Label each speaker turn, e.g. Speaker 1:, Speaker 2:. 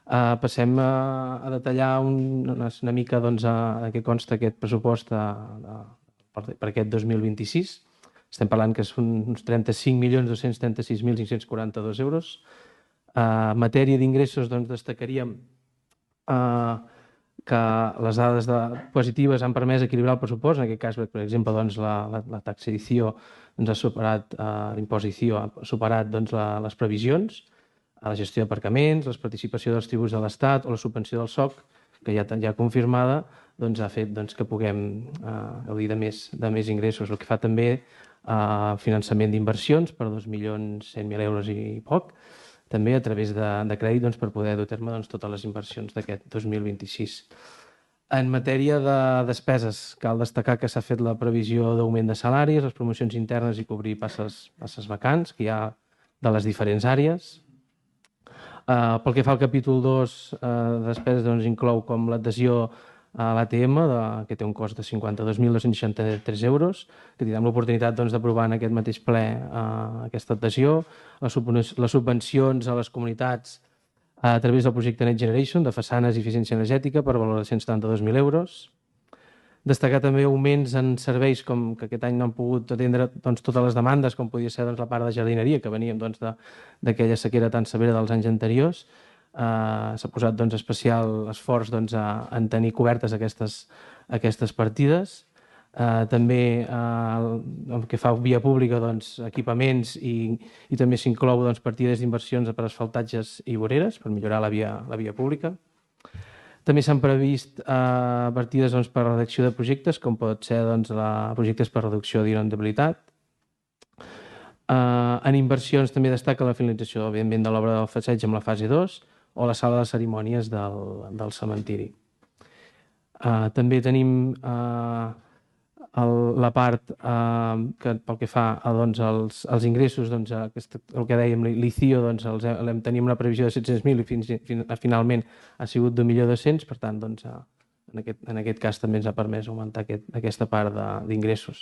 Speaker 1: Passem a detallar una mica de què consta aquest pressupost per aquest 2026. Estem parlant que són uns 35.236.542 euros. En matèria d'ingressos destacaríem que les dades positives han permès equilibrar el pressupost. En aquest cas, per exemple, la taxació ha superat, l'imposició ha superat les previsions, a la gestió d'aparcaments, la participació dels tributs de l'Estat o la subvenció del SOC, que ja confirmada, ha fet que puguem gaudir de més ingressos, el que fa també finançament d'inversions per 2.100.000 euros i poc, també a través de crèdit per poder dur a terme totes les inversions d'aquest 2026. En matèria de despeses, cal destacar que s'ha fet la previsió d'augment de salaris, les promocions internes i cobrir passes vacants que hi ha de les diferents àrees. Pel que fa al capítol 2 de despeses, inclou com l'adhesió a l'ATM, que té un cost de 52.263 euros, que tindrem l'oportunitat d'aprovar en aquest mateix ple aquesta adhesió, les subvencions a les comunitats a través del projecte Next Generation de façanes i eficiència energètica per valor de 172.000 euros. Destacar també augments en serveis com que aquest any no han pogut atendre totes les demandes, com podia ser la part de jardineria, que veníem d'aquella sequera tan severa dels anys anteriors. S'ha posat especial esforç en tenir cobertes aquestes partides. També el que fa via pública, equipaments, i també s'inclou partides d'inversions per asfaltatges i voreres per millorar la via pública. També s'han previst partides per a la redacció de projectes, com pot ser projectes per reducció d'inundabilitat. En inversions també destaca la finalització, òbviament, de l'obra del passeig amb la fase 2 o la sala de cerimònies del cementiri. També tenim la part que pel que fa als ingressos, el que dèiem, l'ICIO, tenim una previsió de 700.000 i finalment ha sigut d'1.200.000, per tant, en aquest cas també ens ha permès augmentar aquesta part d'ingressos.